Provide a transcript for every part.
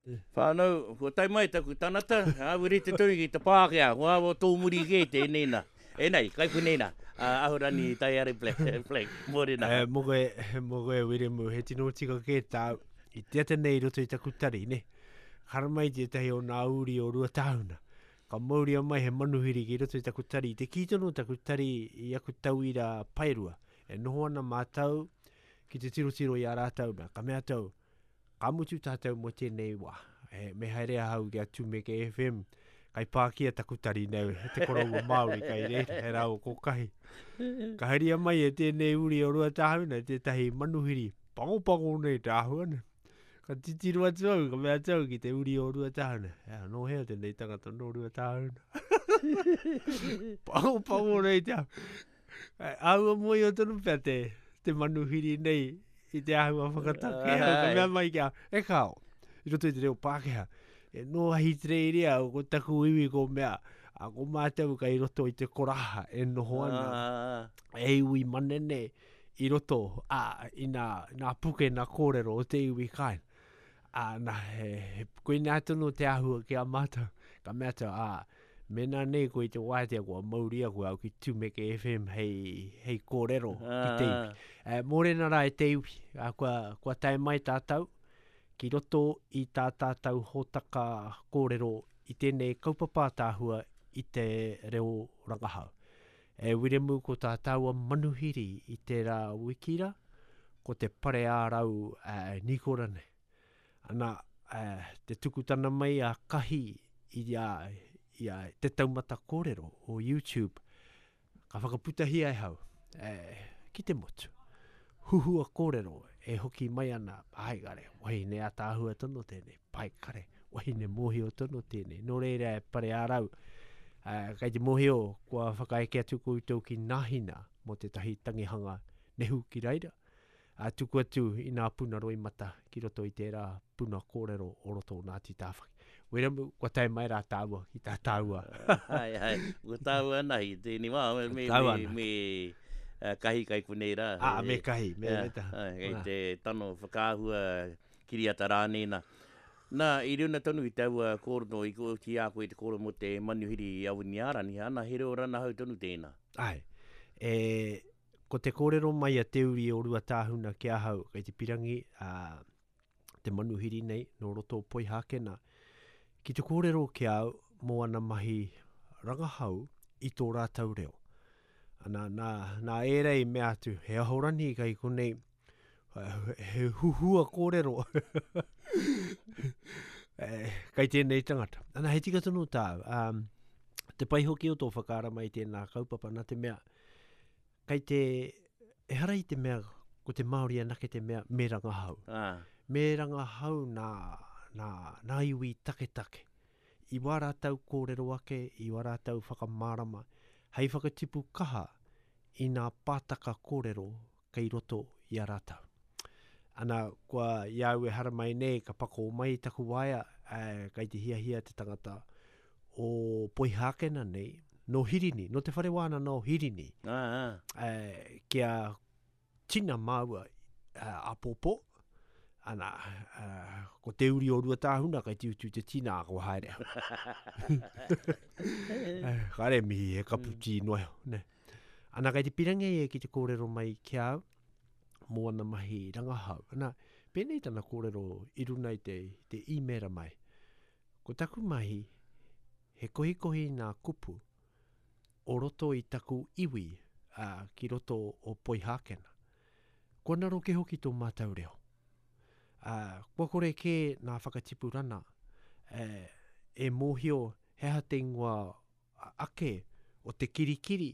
Whānau, kua tae mai taku tanata, ā, rite tonu ki te Pākehā, ko āua tōmuri kē tēnei nā. E nei, kai konei nā, a Ahorangi Taiare Black, Black, mōrena. E, mō koe, mō koe Wiremu, he tino tika kē tāu. I te ata nei i roto i taku tari, ne? Haramai tētahi o nā uri o Ruatāhuna. Ka mauria mai he manuhiri ki roto i taku tari. I te kī tonu taku tari i aku tauira paerua. E noho ana mātou ki te tirotiro i a rātou nā. Ka mea atu au, Ka mutu tātou mō tēnei wā. E, me haere ahau ki a Tumeke FM. Kai pākia taku tari nei, te koroua Māori kai reira, he rāua ko Kahi. Ka haria mai e tēnei uri o Ruatāhuna tētahi manuhiri pangopango nei te āhua nei. Ka titiro atu au, ka mea atu au ki te uri o Ruatāhuna. Ea, nō hea tēnei tangata nō Ruatāhuna? Pangopango nei te āhua. Āhua mōhio tonu pea te, te manuhiri nei i te āhua whakatake. Ka mea mai ki a, e kāo, i roto i te reo Pākehā, e nō Ahitereiria, ko taku iwi ko mea, a ko mātou kai roto i te koraha e noho ana, e iwi manene i roto, a, i nā, nā puke, nā kōrero o te iwi kāinga. Ā, nā, he, he, koinā tonu te āhua ki a mātou. Ka mea atu, ā, mēnā nei koe i te wātea kua mauria koe au ki Tumeke FM hei, hei kōrero ki te iwi. E, mōrena rā e te iwi, ā, kua, kua tae mai tātou ki roto i tā tātou hōtaka kōrero i tēnei kaupapa ātaahua i te reo rangahau. E Wiremu ko tā tāua manuhiri i tērā wiki rā, ko te pare ā-rau Nikora nei. Ana, te tukutana mai a Kahi i a, i a te taumata kōrero o YouTube, ka whakaputahia e hau, e, ki te motu. Huhua kōrero e hoki mai ana, ai kare, wahine ataahua tonu tēnei, pai kare, wahine mōhio tonu tēnei. Nō reira e pare ā-rau, kei te mōhio kua whakaeke atu koutou ki Nāhina mō tētahi tangihanga nehu ki reira, ā, tuku atu i nā puna roimata ki roto i tērā puna kōrero o roto o Ngāti Tāwhaki. Wiremu, kua tae mai rā tāua ki tā tāua. Hai, hai, ko tāua anahi tēnei wā, me, me, me, me kahi kai konei rā. Ā, me kahi, me, me taha. Kei te tano whakaahua kiriata rānei nā. Nā, i runa tonu i taua kōrero, i ki a koe te kōrero mō te manuhiri i Awiniārani, ana, he reo ranahau tonu tēnā. Āe. E, ko te kōrero mai a Te Uri o Ruatāhuna ki ahau, kei te pirangi, ā, te manuhiri nei, nō roto o Poihākena, ki te kōrero ki a au mō ana mahi rangahau i tō rātou reo. Ana, nā, nā ērā i mea atu, he ahorangi kei konei, he huhua kōrero kei tēnei tangata. Ana, he tika tonu tāu. Um, te pai hoki o tō whakaara mai tēnā kaupapa, nā te mea, kei te, ehara i te mea, ko te Māori anake te mea me rangahau. Ah. Me rangahau nā, nā, nā iwi taketake. I wā rātou kōrero ake, i wā rātou whakamārama, hei whakatipu kaha i nā pātaka kōrero kei roto i a rātou. Ana, kua i a au e haramai nei, ka pakō mai taku waea, ā, kei te hiahia te tangata o Poihākena nei, nō Hirini, nō te whare wānanga o Hirini, ā, ā. ā, kia tina māua āpōpō, ana, ā, ko te uri o Ruatāhuna kei te utu te tina, ā, kua haere au. Kāre e mihi, he kapu tī noa iho, nē. Ana, kei te pirangi ia ki te kōrero mai ki a au mō ana mahi rangahau. Ana, pēnei tana kōrero i runa i te, te īmēra mai. Ko taku mahi, he kohikohi i nā kupu o roto i taku iwi, ā, ki roto o Poihākena. Kua naroke hoki tō mātou reo. Ā, kua kore kē nā whakatipurana e, e mōhio he aha te ingoa ake o te kirikiri,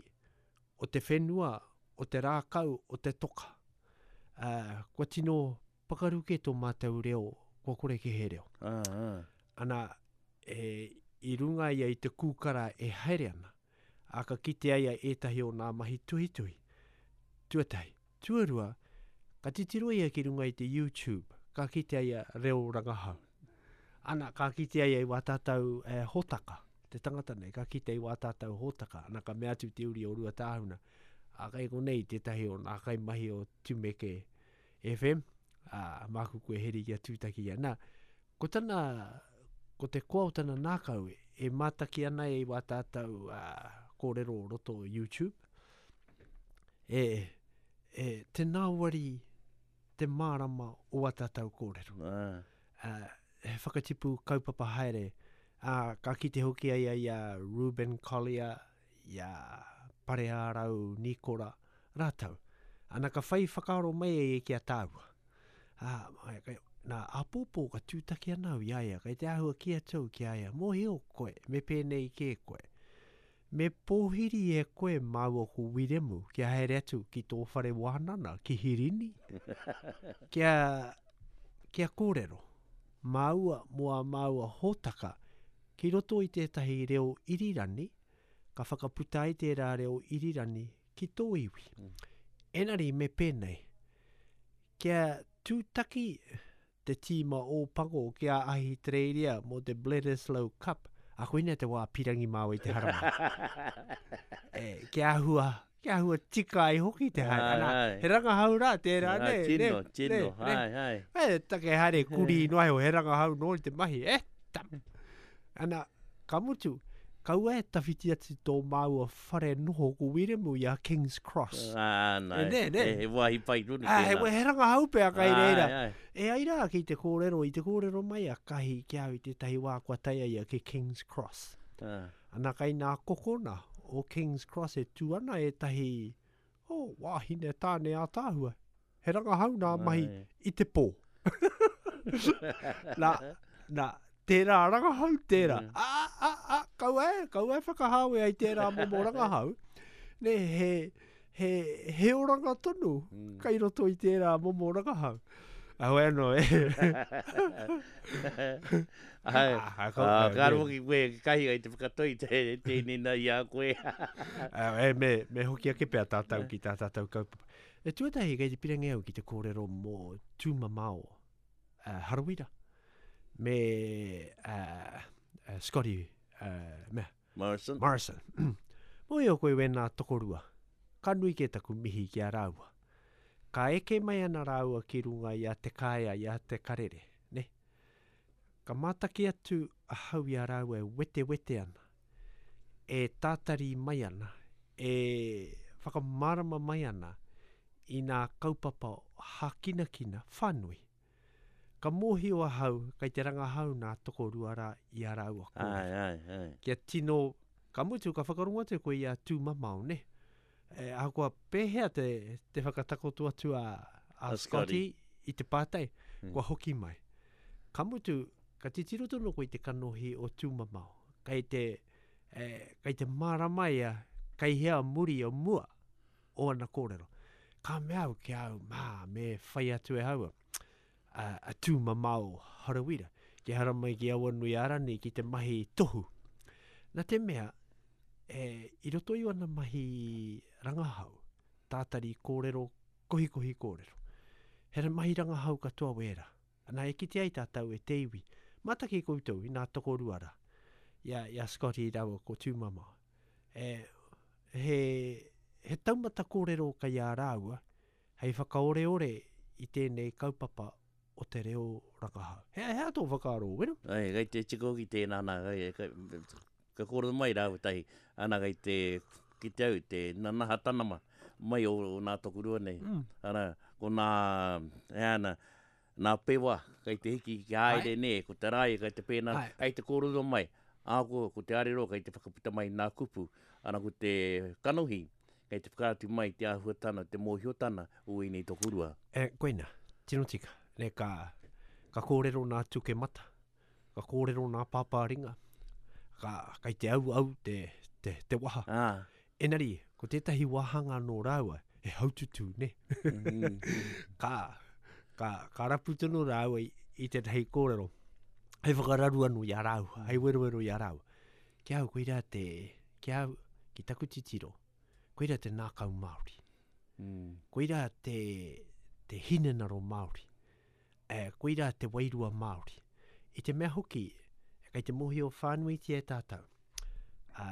o te whenua, o te rākau, o te toka. Ā, kua tino pakaru kē tō mātou reo, kua kore kē he reo. Ā, ā. Ana, e, i runga ia i te kūkara e haere ana, ā, ka kitea ia ētahi o nā mahi tuhituhi. Tuatahi. Tuarua, ka titiro ia ki runga i te YouTube, ka kitea ia reo rangahau. Ana, ka kitea ia i wā tātou e, hōtaka, te tangata nei, ka kite i wā tātou hōtaka. Ana, ka mea atu te uri o Ruatāhuna, ā, kei konei tētahi o nā kaimahi o Tumeke FM, ā, māku koe heri kia tūtaki ia. Nā, Ko tana, ko te koa o tana nākau e mātaki ana i wā tātou uh, kōrero o roto o YouTube, e, e, te nāwari te mārama o wā tātou kōrero. Ah. Uh, he whakatipu kaupapa haere, ā, ka kite hoki a ia i a Reuben Collier, i a Pareārau Nikora, rātou. Ana ka whai whakaaro mai a ia ki a tāua. Ā, nā, āpōpō ka tūtaki ana au i a ia, kei te āhua kī atu au ki a ia, mōhio koe, me pēnei kē koe. Me pōhiri e koe māua ko Wiremu kia haere atu ki tō whare wānana ki Hirini, kia, kia kōrero māua mō ā māua hōtaka ki roto i tētahi reo irirani, ka whakaputa ai tērā reo irirani ki tō iwi. Engari me pēnei, kia tūtaki te tīma Ōpango ki a Ahitereiria mō te Bledisloe Cup, a koinei te wā pirangi māua i te haramai. e, kia āhua, kia āhua tika ai hoki te haere. Ana, he rangahau rā tērā, ne? Tino, ne, tino, ne, hai, hai. E, take haere kuri noa iho, he rangahau nō te mahi, e, tam. Ana, ka mutu, kaua e tawhiti atu tō māua whare noho ko Wiremu i a King's Cross. Ā, nā, e, ne, ne. he wāhi pai tonu tēnā. Ā, he, he rangahau pea kai reira. Ai, ai. E ai rā ki te kōrero, i te kōrero mai a Kahi ki au i tētahi wā kua tae a ia ki King's Cross. Ah. Ana kai nā kokona o King's Cross e tū ana ētahi, oh, wāhine tāne ātaahua. He rangahau nā mahi i te pō. nā, nā, tērā rangahau, tērā. Mm. A, a, a, kaua e, kaua e whakahāwea i tērā momo rangahau. Ne, he, he, he oranga tonu mm. kai roto i tērā momo rangahau. Awe anō, e. Ai, ah, ah, ka hoki koe kahi ai te whakatoi te, tēnei nā i a koe. e, me, me hoki ake pea tātou ki tā tātou kaupapa. E tuatahi kei te pirangi au ki te kōrero mō Tūmamao uh, Harawira me uh, uh, Scotty uh, mea, Morrison. Morrison. Mōhio koe wēnā tokorua. Ka nui kē taku mihi ki a rāua. Ka eke mai ana rāua ki runga i a Te Kāea, i a Te Karere, ne? Ka mātaki atu ahau i a rāua e wetewete ana, e tātari mai ana, e whakamārama mai ana i nā kaupapa hākinakina whānui. Ka mōhio ahau kei te rangahau nā tokorua rā i a rāua kōrero. Āe, āe, āe. Kia tino, ka mutu ka whakarongo atu koe i a Tūmamao, nē? E, ahakoa pēhea te, te whakatakoto atu a, a, a Scotty i te pātai, mm. kua hoki mai. Ka mutu, ka titiro tonu koe i te kanohi o Tūmamao. Kei te, e, kei te mārama ia, kei hea muri o mua o ana kōrero. Ka mea au ki au, mā, me whai atu e haua a, a Tūmamao Harawira, ki haramai ki Awanuiārani ki te mahi tohu. Nā te mea, e, i roto i ana mahi rangahau, tātari kōrero, kohikohi kōrero. He mahi rangahau katoa wērā. Ana e kite ai tātou e te iwi. Mātaki koutou i nā tokorua rā, i a, i a Scotty rāua ko Tūmamao. E, he, he taumata kōrero kei a rāua hei whakaoreore i tēnei kaupapa o te reo rangahau. He, he aha tō whakaaro, Wero? Ai, kei te tiko hoki tēnā nā, kei, kei, ka kōrero mai rāua tahi, ana kei te kite au te nanaha tanama mai o, o nā tokorua nei. Mm. Ana, ko nā, he ana, nā pewa kei te hiki ki haere nē, ko te rae kei te pēnā, kei te kōrero mai, ā, ko, ko te arero kei te whakaputa mai nā kupu, ana ko te kanohi kei te whakaatu mai te āhuatana, te mōhiotana o ēnei tokorua. E, koina, tino tika, nē, ka, ka kōrero nā Tukemata, ka kōrero nā Pāpāringa, ka, kei te auau te, te, te waha. Ah. Engari, ko tētahi wāhanga nō rāua, he haututū, nē? Mm -hmm. ka, ka, ka rapu tonu rāua i, i tētahi kōrero, hei whakararu anō i a rāua, hei werowero i a rāua. Ki au, koirā te, ki au, ki taku titiro, koirā te nākau Māori. Mm. Koirā te, te hinengaro Māori. E, koirā te wairua Māori. I te mea hoki, kei te mōhio whānuitia e tātou, ā,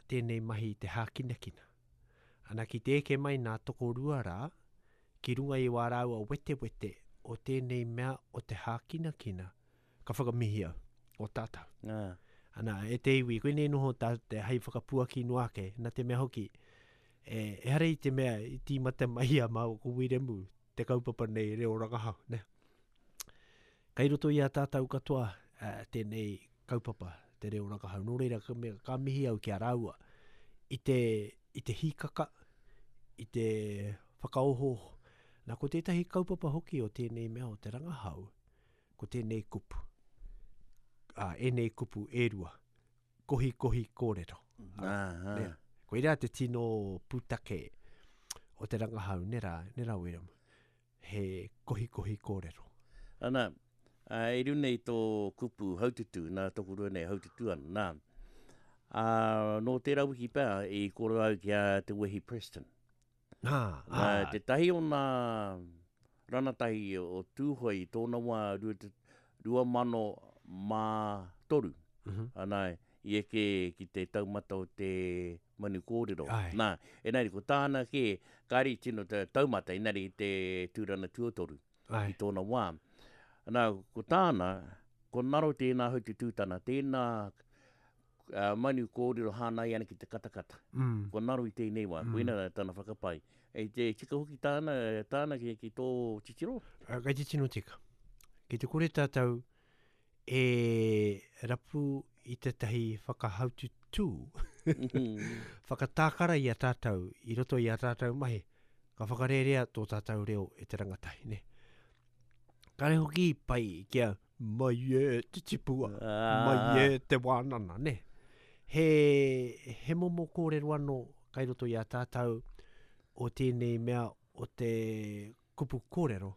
tēnei mahi i te hākinakina. Ana ki te eke mai nā tokorua rā, ki runga i wā rāua wetewete o tēnei mea o te hākinakina, ka whakamihi au, o tātou. Ah. Ana, e te iwi, koinei noho tā te hei whakapuaki noa ake, nā te mea hoki, e, ehara i te mea i tīmata mai a māua ko Wiremu te kaupapa nei reo rangahau, ne? Kei roto i a tātou katoa uh, tēnei kaupapa, te reo rangahau. Nō reira, ka, mea, ka mihi au ki a rāua i te, i te hīkaka, i te whakaohooho. Nā, ko tētahi kaupapa hoki o tēnei mea o te rangahau, ko tēnei kupu. Ā, ēnei kupu e rua. Kohikohi kōrero. Ā, ā. Nē. Koirā te tino pūtake o te rangahau, nē rā, nē rā Wiremu? He kohikohi kōrero. Ana, ā, i runga i tō kupu haututū, nā tōku rua nei haututū ana, nā. Ā, nō tērā wiki pea i kōrero au ki a Te Wehi Preston. Nā, ā. Nā, tētahi o nā ranatahi o Tūhoe i tōna wā 2003, ana, i eke ki te taumata o te manu kōrero. Ai. Nā, engari ko tāna kē, kāre i tino taumata, engari i te tūrana tuatoru Ai. i tōna wā. Nā, ko tāna, ko ngaro tēnā haututūtana, tēnā uh, manu kōrero hāngai ana ki te katakata. Mm. Kua ngaro i tēnei wā, mm. koina tana whakapae. E te tika hoki tāna, tāna ki, ki tō titiro? Uh, kei te tino tika. Ki te kore tātou e rapu i tētahi whakahaututū, whakatākara i a tātou, i roto i a tātou mahi, ka whakarērea tō tātou reo e te rangatahi, ne? Kare hoki i pai kia mai e te tipua, mai e te wānana, ne? He, he momo kōrero anō kai roto i a tātou o tēnei mea o te kupu kōrero,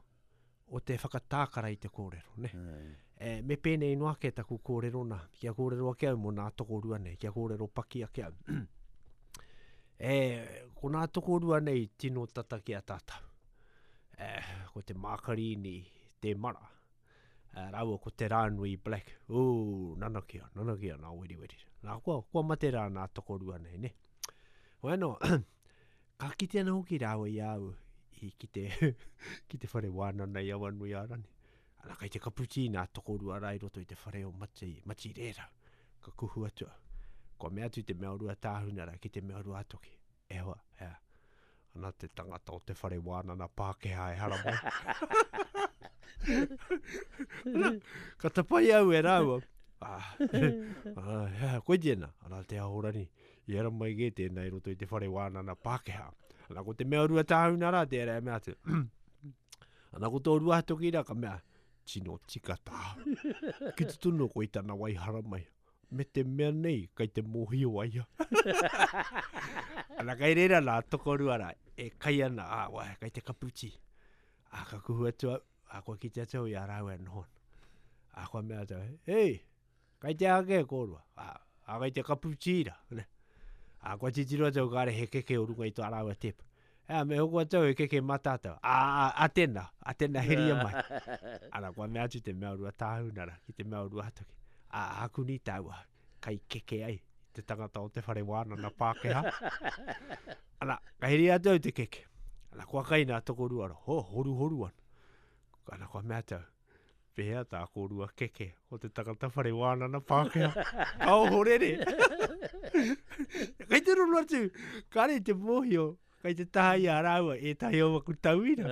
o te whakatākara i te kōrero, ne? E, me pēnei noa ake taku kōrero nā, kia kōrero ake au mō nā tokorua nei, kia kōrero paki ake au. e, ko nā tokorua nei tino tata ki a tātou. E, ko te Mākarīni Temara, e, rāua ko Te Rānui Black. Ū, nanakia, nanakia nā weriweri. Nā, kua, kua mate rā nā tokorua nei, ne? Hoi anō, ka kite ana hoki rāua i a au i ki te, ki te whare wānana i Awanuiārani. Ana, kei te kapu tī nā tokorua rā i roto i te whare o Mati, Mati Rērau. Ka kuhu atu au. Kua mea atu te mea o Ruatāhuna rā ki te mea o Ruātoki. E hoa, ea. Ana te tangata o te whare wānana Pākehā e haramai. Ana, ka tapai au e rāua. Ah, ah, ea, koe tēnā. Ana te Ahorangi. I haramai kē tēnā i roto i te whare wānana Pākehā. Ana, ko te mea o Ruatāhuna rā tērā e mea atu. Ana ko tō Ruātoki rā ka mea, tino tika tāu. Ki te tono koe i tana wai haramai, me te mea nei kai te mōhio a ia. Ana kai reira nā tokorua rā, e kai ana, ā, wai, kai te kapu tī. Ā, ka kuhu atu au, ā, kua kite atu au i a rāua e noho ana. Ā, kua mea atu au, hei, Kai te aha kē kōrua? Ā, ā, kai te kapu tīra, ne? Ā, kua titiro atu au kāre he keke o runga i tō rāua tepa. Ea, me hoko atu au he keke mā tātou. Ā, ā, ā tēnā, ā tēnā heria mai. Ana, kua mea atu te mea o Ruatāhuna rā, ki te mea o Ruatoki. Ā, ākuni tāua, kai keke ai te tangata o te whare wānana Pākehā. Ana, ka heria atu au te keke. Ana, kua kai nā tokorua rā, ho, horuhoru ana. Ana, kua mea atu au, Pēhea tā kōrua keke o te tangata whare wānana Pākehā? Ka ohorere. Kei te roro atu, kāre i te mōhio, kei te taha i a rāua ētahi o aku tauira.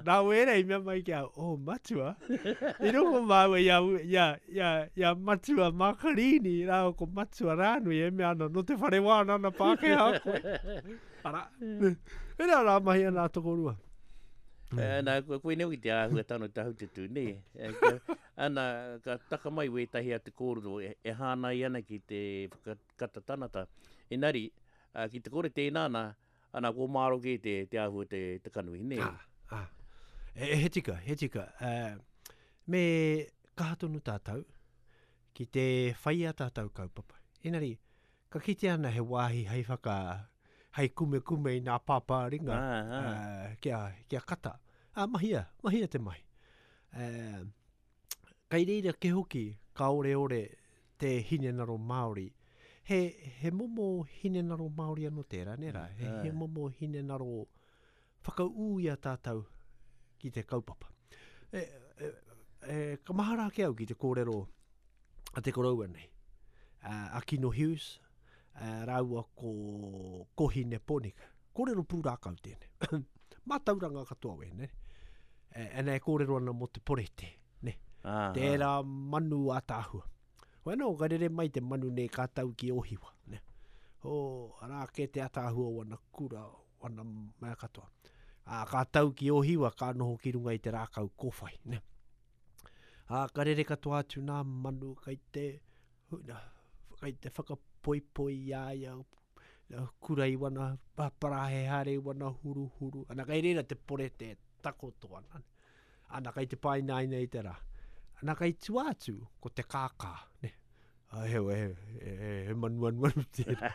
Nā wērā i mea mai ki a, oh, matua, i rongo māua i a, i a, i a, i a Matua Mākarīni rāua ko Matua Rānui e mea ana, nō te whare wānana Pākehā koe. Arā, ērā rā mahi ana a tokorua. Mm. Nā, koinei hoki te āhuatanga o te haututū, nē. Ana, ka taka mai wētahi atu kōrero e, e hāngai ana ki te whakakata tanata. Engari, ki te kore tēnā nā, ana, kua māro kē te, te āhua te, te kanohi, nē. Ah, ah. E, he tika, he tika. Uh, me kaha tonu tātou ki te whai a tātou kaupapa. Engari, Ka kitea ana he wāhi hei whaka, hei kumekume i nā pāpāringa kia, kia kata. Ā, mahia, mahia te mahi. Uh, kai reira ke hoki ka oreore te hinengaro Māori. He, he momo hinengaro Māori anō tērā, nē rā? He, he momo hinengaro whakaū i a tātou ki te kaupapa. E, e, e, ka mahara ake au ki te kōrero a te koroua nei, a, a Kino Hughes, a, rāua ko Kohine Ponika. Kōrero pūrākau tēnei. Mātauranga katoa wēnei. E, ana e kōrero ana mō te porete, ne? Ah, Tērā manu ātaahua. Hoi anō, ka rere mai te manu nei ka tau ki Ōhiwa, ne? O, arā kē te ataahua o ana kura, o ana mea katoa. Ā, ka tau ki Ōhiwa, ka noho ki runga i te rākau kōwhai, ne? Ā, ka rere katoa atu nā manu kai te, kai te whakapoipoi i a ia, kura i wana parahe haere i wana huruhuru. Ana, kai reira te porete e takoto ana. Ana, kai te pāinaina i te rā. Ana, kai tua atu, ko te kākā, ne? A, he, he, he, he manuanuanu tērā.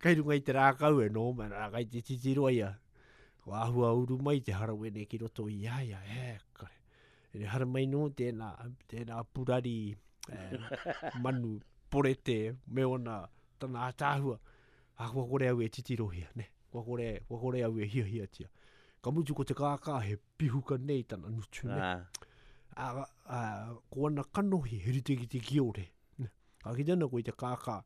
kai runga i te rākau e noho mai, ana, kai te titiro ia. Ko āhua uru mai te harawene ki roto i a ia, e, kare. E haramai nō tēnā, tēnā purari eh, manu porete me ona tana ātaahua. Ā, kua kore au e titirohia, ne? Kua kore, kua kore au e hiahiatia. Ka mutu ko te kākā he pihuka nei tana ngutu, ne? Ah. Ā, ā, ko ana kanohi he rite ki te kiore. Ne? Ka kite ana koe i te kākā.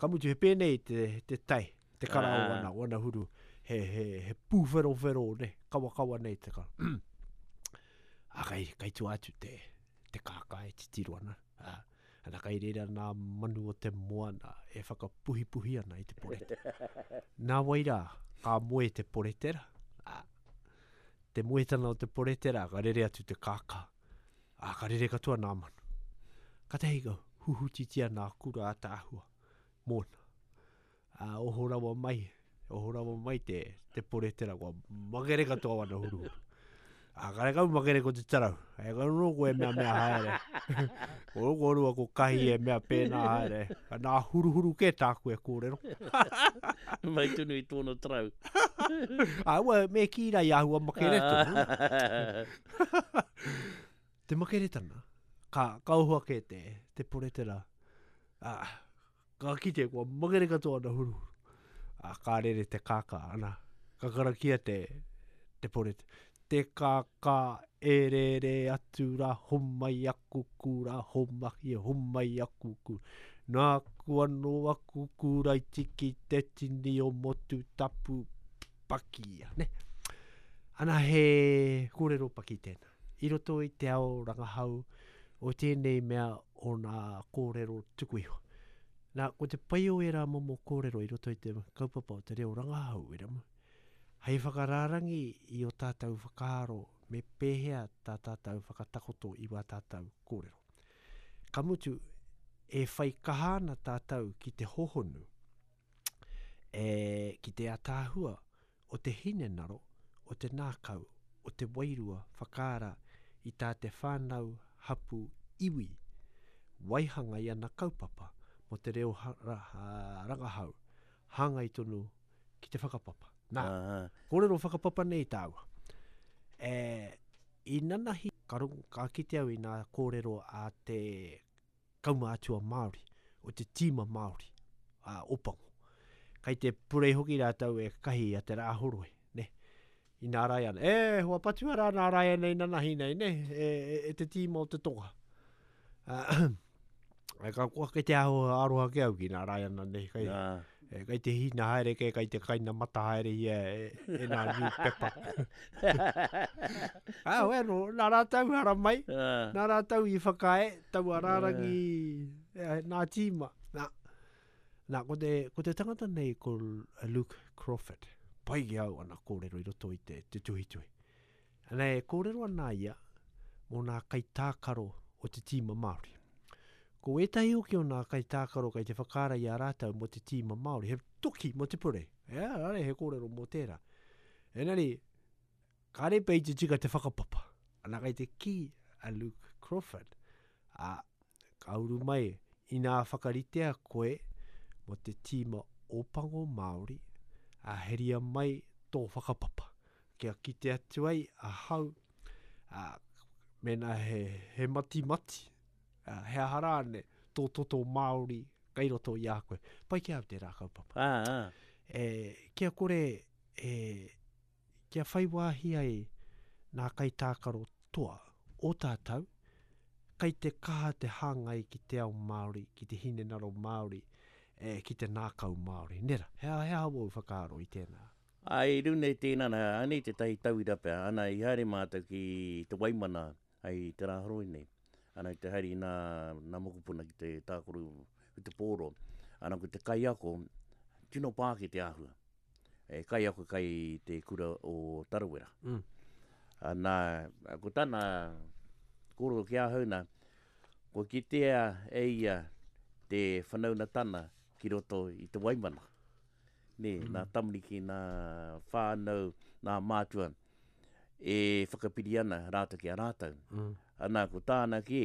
Ka mutu he pēnei te, te tae, te kara o Ah. ana, o ana huru. He, he, he pūwherowhero, ne? Kawakawa nei te kara. Ā, kai, kai tua atu te, te kākā e titiro ana. Ā, Ana kai reira nā manu o te moana e whakapuhipuhi ana i te porete. Nā wai rā, ka moe te poretera, ā, te moetana o te poretera, ka rere atu te kākā, ā, ka rere katoa nā manu. Katahi ka huhutitia nā kura ataahua mōna. Ā, oho rawa mai, oho rawa mai te, te poretera, kua makere katoa wana huruhuru. Ā, karekau makere ko te tarau. E kau nō koe mea mea haere. Ko kōrua ko Kahi e mea pēnā haere. Ka nā huruhuru kē tāku e kōrero. Mai tonu i tōna tarau. Ā, ua, me kī rā i āhua makere tonu. Te makeretana, ka, ka oho ake te, te poretera. Ā, Ka kite kua makere katoa ana huruhuru. A, ka rere te kākā, ana, ka karakia te, te porete. Te kākā e rere atu rā, homai aku kura, homai, homai aku kura. Nāku anō aku kura i tiki te tini o Motutapu pakia, ne? Ana he kōrero paki tēnā. I roto i te ao rangahau o tēnei mea o nā kōrero tuku iho. Nā, ko te pai o ērā momo kōrero i roto i te kaupapa o te reo rangahau, Wiremu, hei whakarārangi i ō tātou whakaaro me pēhea tā tātou whakatakoto i wā tātou kōrero. Ka mutu, e whai kaha ana tātou ki te hohonu, e, ki te ataahua o te hinengaro, o te nākau, o te wairua whakaara i tā te whānau, hapū, iwi waihanga i ana kaupapa mō te reo rangahau hāngai tonu ki te whakapapa. Nā, kōrero whakapapa nei tāua. E, i nanahi, ka, ka kite au i nā kōrero a te kaumātua Māori, o te tīma Māori, a Opango. Kai te purei hoki rātou e kahi a Te Rāhoroi, ne? I nā Raiana. E, hoa patua rā nā Raiana i nanahi nei, ne? E, e, e te tīma o te tonga. Uh, e ka kua kei te aho aroha ke au ki nā Raiana nei. Kai, Nā. e, kai te hina haere ke, kai te kaina mata haere ia e, e nā newspaper. Ah, well, no, nā rātou hara mai, Ah. nā rātou i whakaae, taua rārangi eh, nā tīma. Nā, nā ko, te, ko te tangata nei ko Luke Crawford. Pai ki au ana kōrero i roto i te, te tuhituhi. Ana e kōrero ana ia mō nā kaitākaro o te tīma Māori. Ko ētahi hoki o nā kaitākaro kei te whakaara i a rātou mō te tīma Māori, he toki mō te purei. Ea, rānei he kōrero mō tērā. Engari, kāre pea i te tika te whakapapa. Ana kei te kī a Luke Crawford, ā, ka uru mai, inā whakaritea koe mō te tīma Ōpango Māori, ā, heria mai tō whakapapa. Kia kite atu ai ahau, ā, mēnā he, he matimati, ā, he aha rāne, tō toto Māori kei roto i a koe. Pai ki a au tērā kaupapa. Ā, ā. E, kia kore, e, kia whai wāhi ai nā kaitākaro toa o tātou. kai te kaha te hāngai ki te ao Māori, ki te hinengaro Māori, e, ki te nākau Māori. Nera, he aha, he aha wōu whakaaro i tēnā? Āe, i runga i tēnā, nā, anei tētahi tauira pea, ana, i haere mātou ki Te Waimana hei te rā horoi nei, ana, i te haere i nā, nā mokopuna ki te tākaro i te pōro, ana, ko te kaiako, tino pākē te āhua. E kaiako kai te kura o Tarawera. Mm. Ana, ko tana kōrero ki ahau nā, kua kitea e ia te whanaunatana ki roto i te Waimana. Nē, mm. nā tamariki, nā whānau, nā mātua e whakapiri ana rātou ki a rātou. Mm. Ana, ko tāna kē,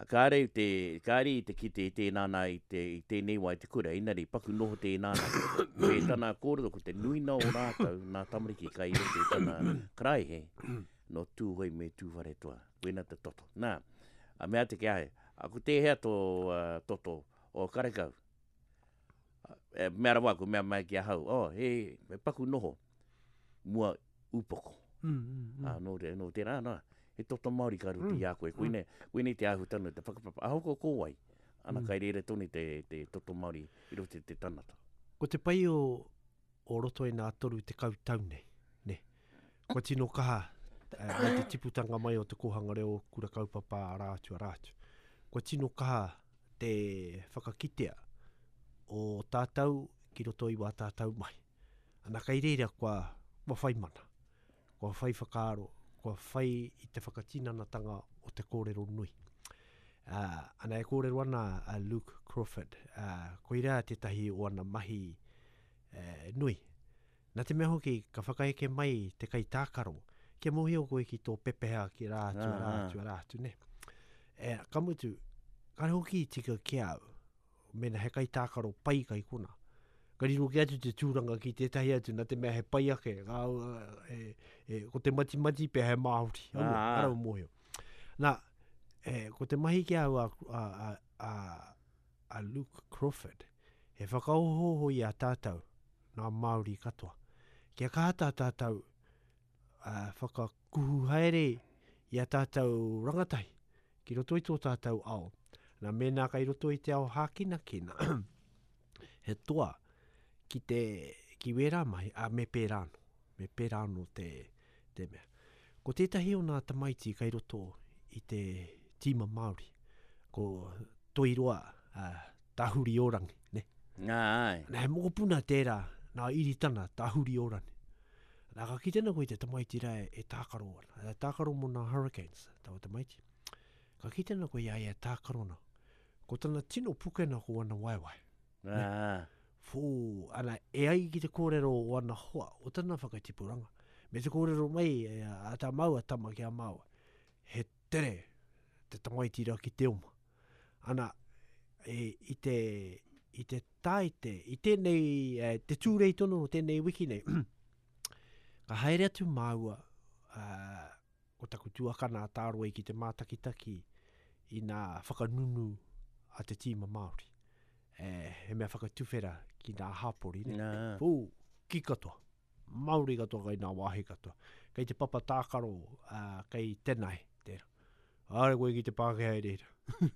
Kāre i te, kāre i te kite i tēnā nā i te, i tēnei wā i te kura, engari paku noho tēnā nā. Me tana kōrero ko te nuina o rātou nā tamariki kai roto i tana karaehe nō Tūhoe me Tūwharetoa. Koina te toto. Nā, a mea atu ki a ia, a ko tēhea tō uh, toto o karekau? E, mea rawa ko mea mai ki ahau, oh, he, he paku noho mua upoko. Mm, mm, mm. Ā, nō, te, nō tērā, nā, he toto Māori ka roto mm. i a koe. Koinei, mm. koinei te āhutanga, te whakapapa. Ahoko ko wai, ana mm. kai reira tonu te, te toto Māori i roto i te tangata. Ko te pai o, o roto i nā 30 tau nei, ne? Kua tino kaha eh, mai te tiputanga mai o te kōhanga reo kura kaupapa arā atu, arā atu. Kua tino kaha te whakakitea o tātou ki roto i wā tātou mahi. Ana kai reira kua, kua whai mana, kua whai whakaaro, kua whai i te whakatinanatanga o te kōrero nui. Uh, ana e kōrero ana a Luke Crawford, uh, koirā tētahi o ana mahi uh, nui. Nā te mea hoki, ka whakaeke mai te kaitākaro, kia mōhio koe ki tō pepeha ki rā atu, rā atu, rā atu, nē. E, ka mutu, kāre hoki i tika ki a au, mēnā he kaitākaro pai kai kona. Ka riro kē atu te tūranga ki tētahi atu, nā te mea he pai ake, ka, e, e, ko te matimati pea he Māori, aua, ara o mōhio. Nā, e, ko te mahi ki a au a, a, a, a, a Luke Crawford, he whakaohooho i a tātou, ngā Māori katoa. Kia kaha tā tātou uh, whakakuhu haere i a tātou rangatahi ki roto i tō tātou ao. Nā, mēnā kai roto i te ao hākinakina, he toa ki te ki wērā mahi, a me pērā anō, me pērā anō te, te mea. Ko tētahi o nā tamaiti kai roto i te tīma Māori, ko Toiroa uh, Tahuriorangi, ne? Nā, ai. Nā, he mokopuna tērā, nā Iritana, Tahuriorangi. Nā, ka kite ana koe i te tamaiti rā e, e tākaro ana. E tākaro mō nā Hurricanes, taua tamaiti. Ka kite ana koe i a ia e tākaro ana. Ko tana tino pukena ko ana waewae. Nā. Fū, ana, e ai ki te kōrero o ana hoa, o tana whakatipuranga, me te kōrero mai e, a tā māua tama ki a māua, he tere te tamaiti rā ki te oma. Ana, e, i te, i te tāite, i tēnei, e, te tūrei tonu o tēnei wiki nei, ka haere atu māua, uh, ko taku tuakana a Tāroe ki te mātakitaki i nā whakanunu a te tīma Māori. E, he mea whakatuwhera ki nā hāpori, ne? Nā. Pū, ki katoa. Māori katoa kei nā wāhi katoa. Kei te papa tākaro, uh, kei Tenai, tērā. Āre koe ki te Pākehā i reira.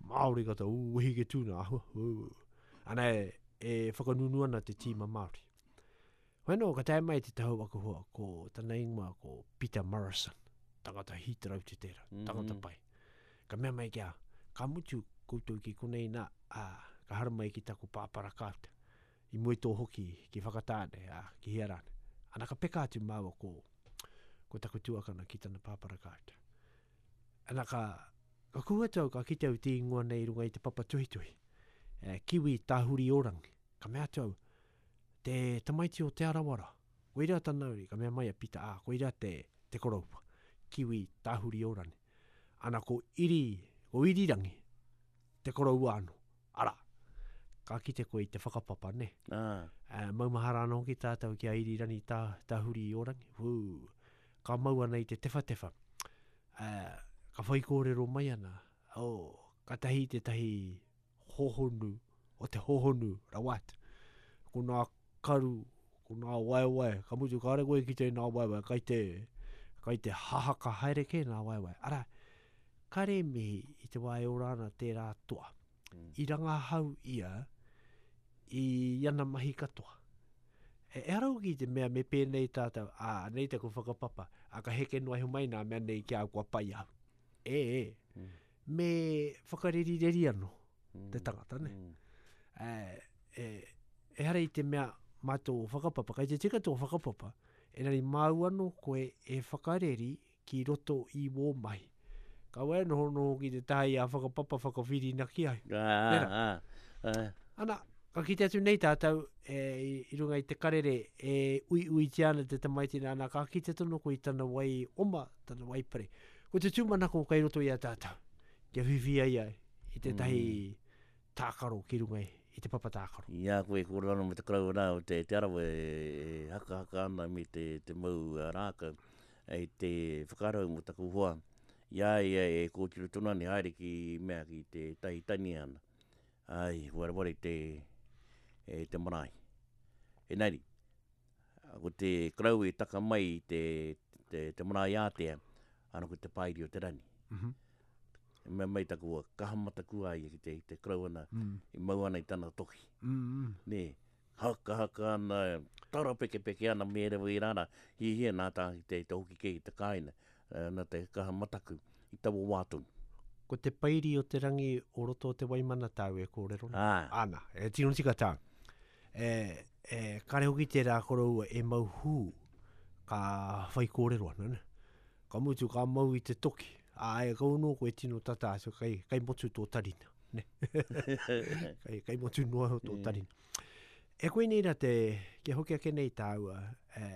Māori katoa, ū, wehi ke tūna, ahua, ū. Ana e, e whakanunu ana te tīma Māori. Hoi anō, ka tae mai te tahu aku hoa, ko tana ingoa ko Peter Morrison, tangata hītarau te tērā, mm -hmm. tangata pai. Ka mea mai ki a, ka mutu koutou ki konei nā, ā, ka haramai ki taku pāpara kāuta. I mua i tō hoki ki Whakatāne, ā, ki hea rāne. Ana ka peka atu māua ko, ko taku tuakana ki tana pāpara kāuta. Ana ka, ka kuhu atu au, ka kite au te ingoa nei i runga i te papa tuhituhi. E, Kiwi Tāhuriorangi. Ka mea atu au, te tamaiti o Te Arawa rā. Koirā tana uri, ka mea mai a Pita, ā, koirā te, te koroua. Kiwi Tāhuriorangi. Ana ko Iri, ko Irirangi, te koroua anō. Arā, ka kite koe i te whakapapa, nē? Ā. Ā, maumahara anō hoki tātou ki a Irirani tā, Tahuri-i-o-rangi. Whū, ka mau ana i te tewhatewha. Ā, ka whaikōrero mai ana, oh, katahi tētahi hohonu, o te hohonu rawa atu. Ko nā karu, ko nā waewae, ka mutu kāre koe ki te nā waewae, kai te, kai te hahaka haere kē nā waewae. Arā, Kare mihi i te wā e ora ana tērā toa. Mm. I rangahau ia i ana mahi katoa. E, ehara hoki i te mea me pēnei tātou, ā, anei taku whakapapa, ā, ka heke noa iho mai nā mea nei ki a au kua pai au. E, e, mm. me whakarerireri anō mm. te tangata, ne? Mm. E, e, ehara i te mea mā tō whakapapa, kei te tika tō whakapapa, engari māu anō koe e whakareri ki roto i wō mahi. Kaua e nohonoho ki te taha i a whakapapa whakawhirinaki ai. Nē rā? Ana, ka kite atu nei tātou e, i runga i te karere e uiuitia ana te tamaiti nā, ka kite tonu koe i tana wai oma, tana wai pare. Ko te tūmanako kei roto i a tātou, kia whiwhi ai ai i tētahi mm. tākaro ki runga i te papa tākaro. I a koe e kōrero ana me te koroua rā o Te, te Arawa e, e hakahaka ana me te, te mau rākau, i te whakarau mō taku hoa, i a ia e kōtiro tonu ana i haere ki mea ki te tahi tani ana. Ai, wareware te, e, te marae. Engari, ko te karau e taka mai i te, te, te marae ātea, ana ko te pairi o te rani. Mm -hmm. E mea mai taku hoa, kaha mataku a ia ki te, te karau ana, mm. i mau ana i tana toki. Mm -hmm. Nē, Hakahaka ana, tarapekepeke ana me rewa i rara, hiahia nā tā ki te, te hoki kē ki te kāina, nā te kaha mataku i taua wā tonu. Ko te pairi o te rangi o roto o te Waimana tāu e kōrero nei? Ā. Āna, e tino tika tāu. E, e, kare hoki tērā koroua e mau hū ka whai kōrero ana, ne? Ka mutu, ka mau i te toki. Ā, e kau anō koe tino tata atu, kei, kei motu tō tarina. Ne? kei, kei motu noa iho tō tarina. E koinei rā te, kia hoki ake nei tāua, e,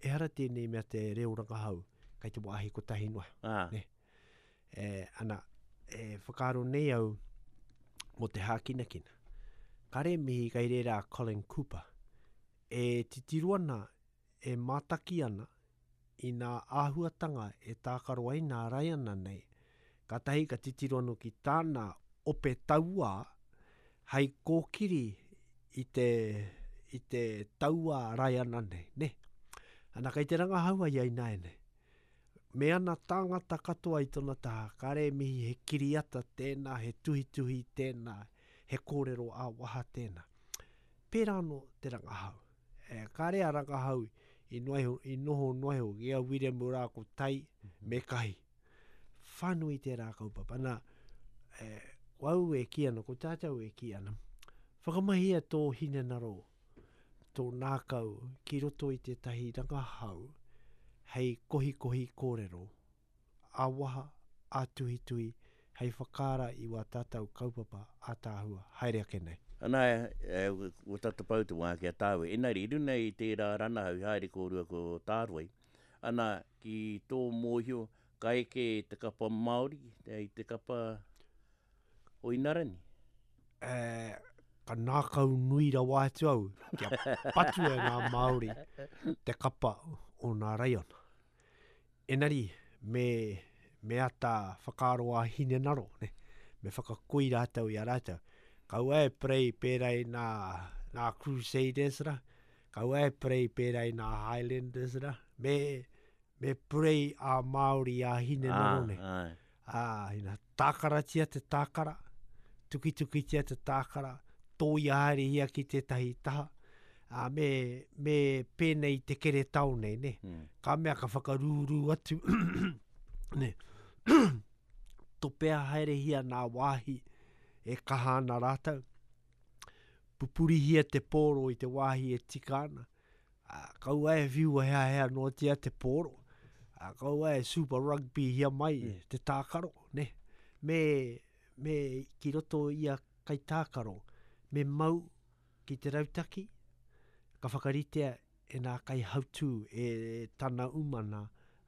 ehara tēnei mea te reo rangahau, kei te wāhi kotahi noa. Ah. Ne? E, ana, e whakaaro nei au mō te hākinakina. Kare mihi kei reira a Colin Cooper. E titiro ana, e mātaki ana i nā āhuatanga e tākaro ai nā Raiana nei, kātahi ka titiro anō ki tāna ope tauā hei kōkiri i te, i te tauā Raiana nei, nē. Ana, kei te rangahau a ia ināianei. Me ana tāngata katoa i tona taha, kāre e mihi he kiriata tēnā, he tuhituhi tēnā, he kōrero ā-waha tēnā. Pērā anō te rangahau. E, kāre a rangahau i, noa iho, i noho noa iho ki a Wiremu rā ko Tai me Kahi. Whānui tērā kaupapa. Nā, e, ko au e kī ana, ko tātou e kī ana, whakamahia tō hinengaro, tō nākau ki roto i tētahi rangahau hei kohikohi kōrero ā-waha, ā-tuhituhi hei whakaara i wā tātou kaupapa ātaahua haere ake nei. Ana, kua tata pau te wā ki a tāua. Engari, i runga i tērā ranahau i haere kōrua ko Tāroi, ana, ki tō mōhio, ka eke te kapa Māori i te kapa o Inarani? E, ka nākau nui rawa atu au kia patua e ngā Māori te kapa o nā raiona. Engari, me, me ata whakaaro a hinengaro, ne? me whakakoi rātou i a rātou. Kaua e pray pērā i nā, nā Crusaders ra, kaua e pray pērā i nā Highlanders ra, me, me pray a Māori a hinengaro nei. Ah, ai. Ā, ina tākaratia te tākara, tukitukitia te tākara, tōia haerehia ki tētahi taha, ā, me, me pēnei te keretao nei, nē. Mm. Ka mea ka whakarūrū atu, nē, topea haerehia nā wāhi e kaha ana rātou, pupurihia te pōro i te wāhi e tika ana, Ā, kaua e whiua heahea noatia te pōro, ā, kaua e Super Rugby-hia mai mm. te tākaro, ne? Me, me ki roto ia kaitākaro, me mau ki te rautaki, ka whakaritea e nā kaihautū e tana umana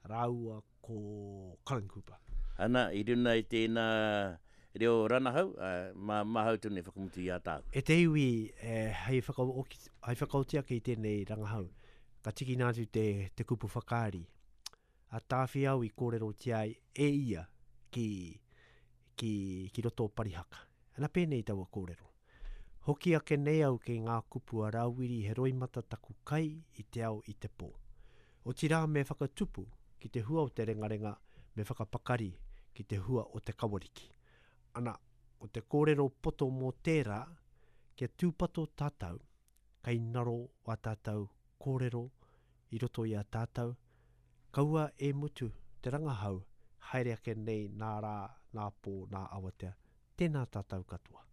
rāua ko Colin Cooper. Ana, i runa i tēnā reo ranahau, mā, māhau tonu e whakamutu i a tāu. E te iwi, hei whakaoki, hei whakaoti ake i tēnei rangahau, ka tikina atu te, te kupu whakaari a Tāwhiao i kōrerotia ai e ia ki, ki, ki roto o Parihaka. Ana pēnei taua kōrero. Hoki ake nei au kei ngā kupu a Rāwiri he roimata taku kai i te ao i te pō. Otirā me whakatupu ki te hua o te rengarenga me whakapakari ki te hua o te kawariki. Ana, ko te kōrero poto mō tērā, kia tūpato tātou, kei ngaro wā tātou kōrero i roto i a tātou, kaua e mutu te rangahau haere ake nei nā rā, nā pō, nā awatea. Tēnā tātou katoa.